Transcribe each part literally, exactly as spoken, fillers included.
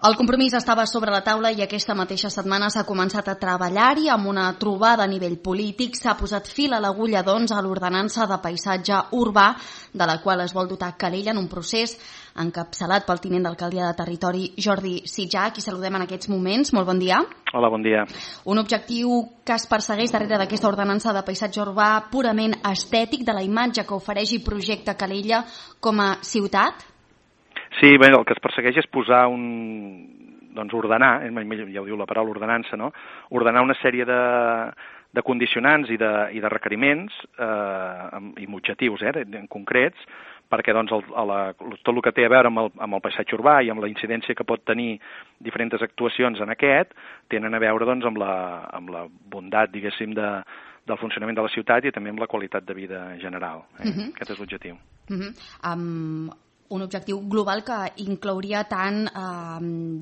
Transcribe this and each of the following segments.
El compromís estava sobre la taula i aquesta mateixa setmana s'ha començat a treballar-hi amb una trobada a nivell polític. S'ha posat fil a l'agulla, doncs, a l'ordenança de paisatge urbà, de la qual es vol dotar Calella en un procés encapçalat pel tinent d'alcaldia de territori, Jordi Sitjà, qui saludem en aquests moments. Molt bon dia. Hola, bon dia. Un objectiu que es persegueix darrere d'aquesta ordenança de paisatge urbà purament estètic, de la imatge que ofereix i projecta Calella com a ciutat? Sí, bé, el que es persegueix és posar un... doncs ordenar, ja ho diu la paraula ordenança, no? Ordenar una sèrie de, de condicionants i de, i de requeriments eh, amb, i amb objectius eh, en concrets, perquè doncs, el, a la, tot el que té a veure amb el, amb el paisatge urbà i amb la incidència que pot tenir diferents actuacions en aquest, tenen a veure doncs, amb, la, amb la bondat, diguéssim, de, del funcionament de la ciutat i també amb la qualitat de vida general. Eh? Uh-huh. Aquest és l'objectiu. Uh-huh. Um... Un objectiu global que inclouria tant, eh,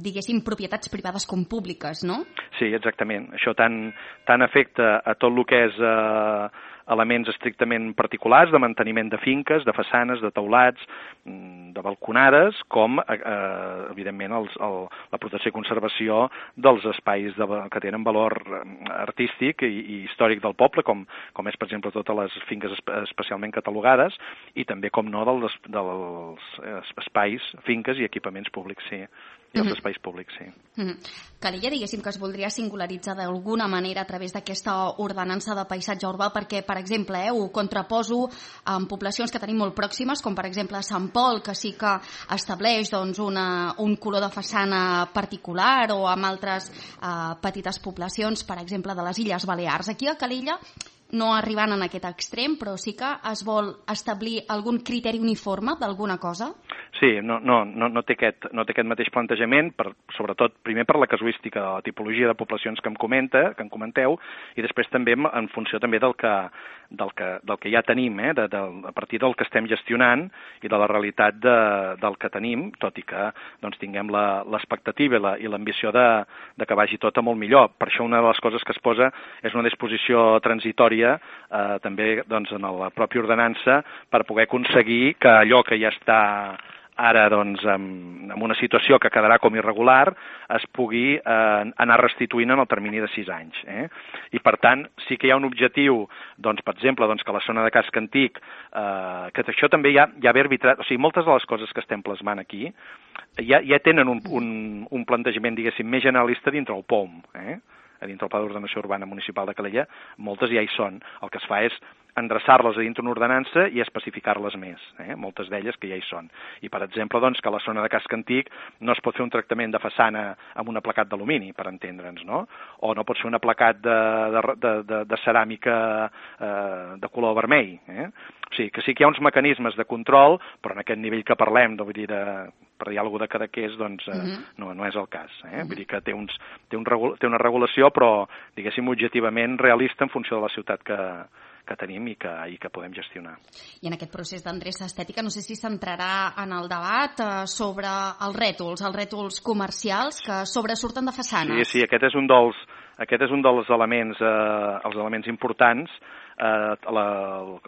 diguéssim, propietats privades com públiques, no? Sí, exactament. Això tant, tant afecta a tot el que és eh, elements estrictament particulars de manteniment de finques, de façanes, de teulats, de balconades, com, eh, evidentment, els, el, la protecció i conservació dels espais de, que tenen valor artístic i, i històric del poble, com, com és, per exemple, totes les finques especialment catalogades, i també, com no, dels, dels espais, finques i equipaments públics, sí. I els espais públics, sí. Mm-hmm. Calella, diguéssim que es voldria singularitzar d'alguna manera a través d'aquesta ordenança de paisatge urbà perquè, per exemple, eh, ho contraposo amb poblacions que tenim molt pròximes, com per exemple Sant Pol, que sí que estableix doncs, una, un color de façana particular, o amb altres eh, petites poblacions, per exemple, de les Illes Balears. Aquí a Calella, no arribant en aquest extrem, però sí que es vol establir algun criteri uniforme d'alguna cosa? Sí, no, no, no, no, té aquest, no té aquest mateix plantejament, per, sobretot primer per la casuística de la tipologia de poblacions que em comenta, que em comenteu, i després també en funció també del que, del que, del que ja tenim, eh, de, de, a partir del que estem gestionant i de la realitat de, del que tenim, tot i que doncs, tinguem l'expectativa i l'ambició de, de que vagi tot a molt millor. Per això una de les coses que es posa és una disposició transitòria eh, també doncs, en la pròpia ordenança per poder aconseguir que allò que ja està ara, doncs, en, en una situació que quedarà com irregular, es pugui eh, anar restituint en el termini de sis anys. Eh? I, per tant, sí que hi ha un objectiu, doncs, per exemple, doncs, que la zona de casc antic, eh, que això també ja, ja ve arbitrat, o sigui, moltes de les coses que estem plasmant aquí ja, ja tenen un, un, un plantejament, diguéssim, més generalista dintre el P O M, eh? a dintre el Pla d'Ordenació Urbana Municipal de Calella, moltes ja hi són. El que es fa és endreçar-les a dintre una ordenança i especificar-les més, eh? moltes d'elles que ja hi són. I, per exemple, doncs, que a la zona de casc antic no es pot fer un tractament de façana amb un aplacat d'alumini, per entendre'ns, no? O no pot ser un aplacat de, de, de, de, de ceràmica eh, de color vermell. Eh? O sigui, que sí que hi ha uns mecanismes de control, però en aquest nivell que parlem, de, vull dir, de, per dir alguna cosa de Cadaqués, doncs eh, uh-huh. no, no és el cas. Eh? Uh-huh. Vull dir que té, uns, té, un regul, té una regulació, però, diguéssim, objectivament realista en funció de la ciutat que, que tenim i que, i que podem gestionar. I en aquest procés d'endreça estètica, no sé si s'entrarà en el debat eh, sobre els rètols, els rètols comercials que sobresurten de façanes. Sí, sí, aquest és un dels, aquest és un dels elements, eh, els elements importants. Eh, la,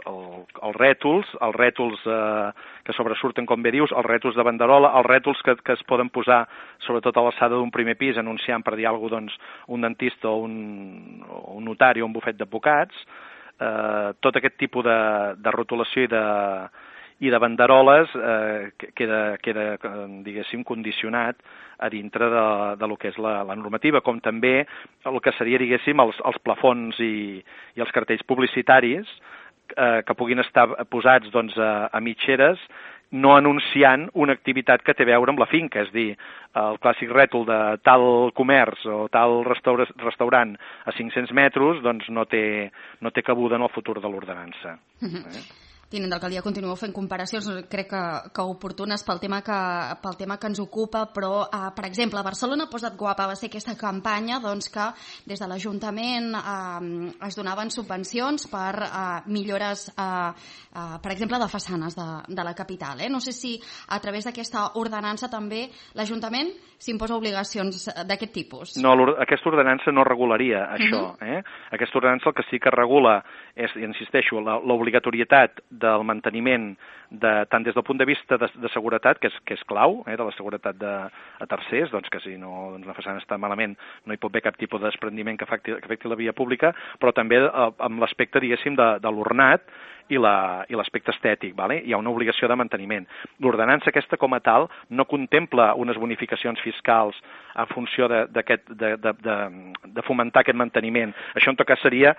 el, els rètols, els rètols eh, que sobresurten, com bé dius, els rètols de banderola, els rètols que, que es poden posar sobretot a l'alçada d'un primer pis anunciant, per dir alguna cosa, doncs, un dentista o un, o un notari o un bufet d'advocats, eh, tot aquest tipus de, de rotulació i de, i de banderoles eh, queda, queda, diguéssim, condicionat a dintre de, de lo que és la, la normativa, com també el que seria, diguéssim, els, els plafons i, i els cartells publicitaris eh, que puguin estar posats doncs, a, a mitgeres, no anunciant una activitat que té a veure amb la finca, és dir, el clàssic rètol de tal comerç o tal restaura, restaurant a cinc-cents metres doncs no té, no té cabuda en el futur de l'ordenança. Mm-hmm. eh? Tinent d'alcaldia, continueu fent comparacions, crec que, que oportunes pel tema que, pel tema que ens ocupa, però, eh, per exemple, a Barcelona Posa't Guapa va ser aquesta campanya doncs, que des de l'Ajuntament eh, es donaven subvencions per eh, millores, eh, eh, per exemple, de façanes de, de la capital. Eh? No sé si a través d'aquesta ordenança també l'Ajuntament s'imposa obligacions d'aquest tipus. No, aquesta ordenança no regularia això. Uh-huh. eh? Aquesta ordenança el que sí que regula és, insisteixo, l'obligatorietat de del manteniment de, tant des del punt de vista de, de seguretat, que és, que és clau, eh, de la seguretat de, a tercers, doncs que si no, doncs la façana està malament no hi pot haver cap tipus de desprendiment que afecti, que afecti la via pública, però també eh, amb l'aspecte, diguéssim, de, de l'ornat i l'aspecte estètic, vale? Hi ha una obligació de manteniment. L'ordenança aquesta com a tal no contempla unes bonificacions fiscals en funció de, de, de, de, de, de fomentar aquest manteniment. Això en tot cas seria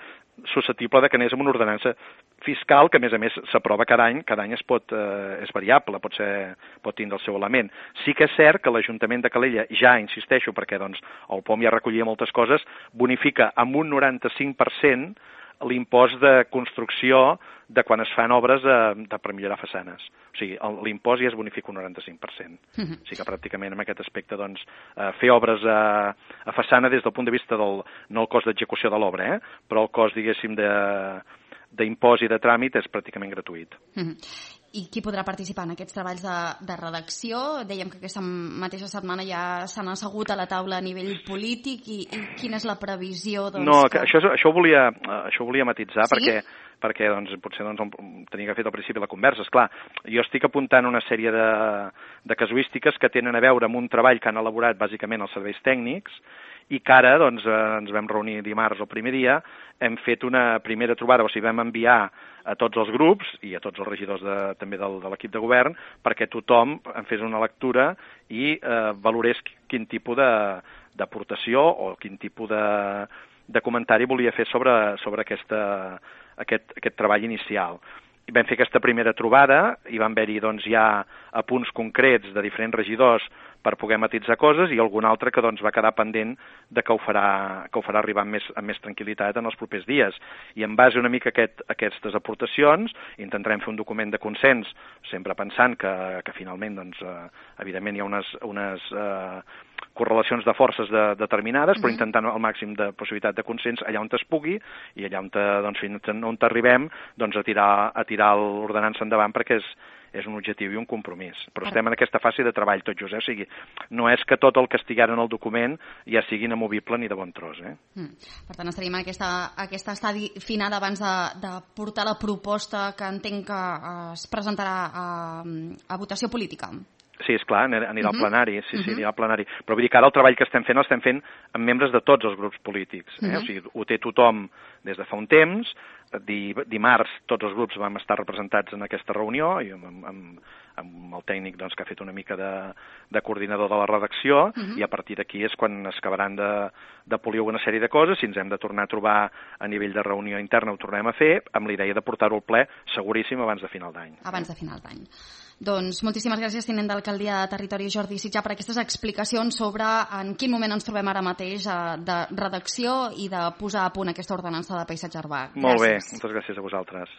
susceptible de que anés amb una ordenança fiscal que a més a més s'aprova cada any, cada any es pot, eh, és variable, pot, ser, pot tindre el seu element. Sí que és cert que l'Ajuntament de Calella ja, insisteixo, perquè doncs, el P O M ja recollia moltes coses, bonifica amb un noranta-cinc per cent l'impost de construcció de quan es fan obres de, de per millorar façanes. O sigui, l'impost ja es bonifica un noranta-cinc per cent. Uh-huh. O sigui que pràcticament en aquest aspecte doncs, eh, fer obres a, a façana des del punt de vista del, no el cost d'execució de l'obra, eh, però el cost, diguéssim, de d'impost i de tràmit és pràcticament gratuït. Uh-huh. I qui podrà participar en aquests treballs de, de redacció? Dèiem que aquesta mateixa setmana ja s'han assegut a la taula a nivell polític i, i quina és la previsió? Doncs, no, que... això, això, ho volia, això ho volia matitzar, sí? perquè perquè doncs, potser doncs, tenia que fer al principi la conversa. Esclar, jo estic apuntant una sèrie de, de casuístiques que tenen a veure amb un treball que han elaborat bàsicament els serveis tècnics i que ara doncs, ens vam reunir dimarts el primer dia, hem fet una primera trobada, o sigui, vam enviar a tots els grups i a tots els regidors de, també del, de l'equip de govern perquè tothom en fes una lectura i eh, valorés quin tipus d'aportació o quin tipus de, de comentari volia fer sobre, sobre aquesta, aquest, aquest treball inicial. I vam fer aquesta primera trobada i van haver-hi doncs, ja apunts concrets de diferents regidors per poder matitzar coses i algun altre que doncs, va quedar pendent de que ho farà, que ho farà arribar amb més, amb més tranquil·litat en els propers dies. I en base una mica a aquest, aquestes aportacions intentarem fer un document de consens, sempre pensant que, que finalment, doncs, eh, evidentment, hi ha unes, unes eh, correlacions de forces de, determinades, però intentant el màxim de possibilitat de consens allà on es pugui i allà on, doncs, fins on arribem doncs, a tirar, a tirar l'ordenança endavant perquè és és un objectiu i un compromís. Però estem en aquesta fase de treball tot just, eh? O sigui, no és que tot el que estigui en el document ja sigui inamovible ni de bon tros, eh? Mm. Per tant, estaríem en aquesta, aquesta estadi final abans de, de portar la proposta que entenc que es presentarà a, a votació política. Sí, és clar, anirà al uh-huh. plenari, sí, sí, uh-huh. anirà al plenari. Però vull dir que ara el treball que estem fent l'estem fent amb membres de tots els grups polítics. Eh? Uh-huh. O sigui, ho té tothom des de fa un temps. Dimarts tots els grups vam estar representats en aquesta reunió i amb, amb, amb el tècnic doncs, que ha fet una mica de, de coordinador de la redacció uh-huh. i a partir d'aquí és quan es acabaran de, de polir una sèrie de coses. Si ens hem de tornar a trobar a nivell de reunió interna ho tornem a fer amb la idea de portar-ho al ple seguríssim abans de final d'any. Abans de final d'any. Doncs moltíssimes gràcies, tinent d'alcaldia de Territori Jordi Sitjar, per aquestes explicacions sobre en quin moment ens trobem ara mateix de redacció i de posar a punt aquesta ordenança de paisatge urbà. Molt bé, moltes gràcies a vosaltres.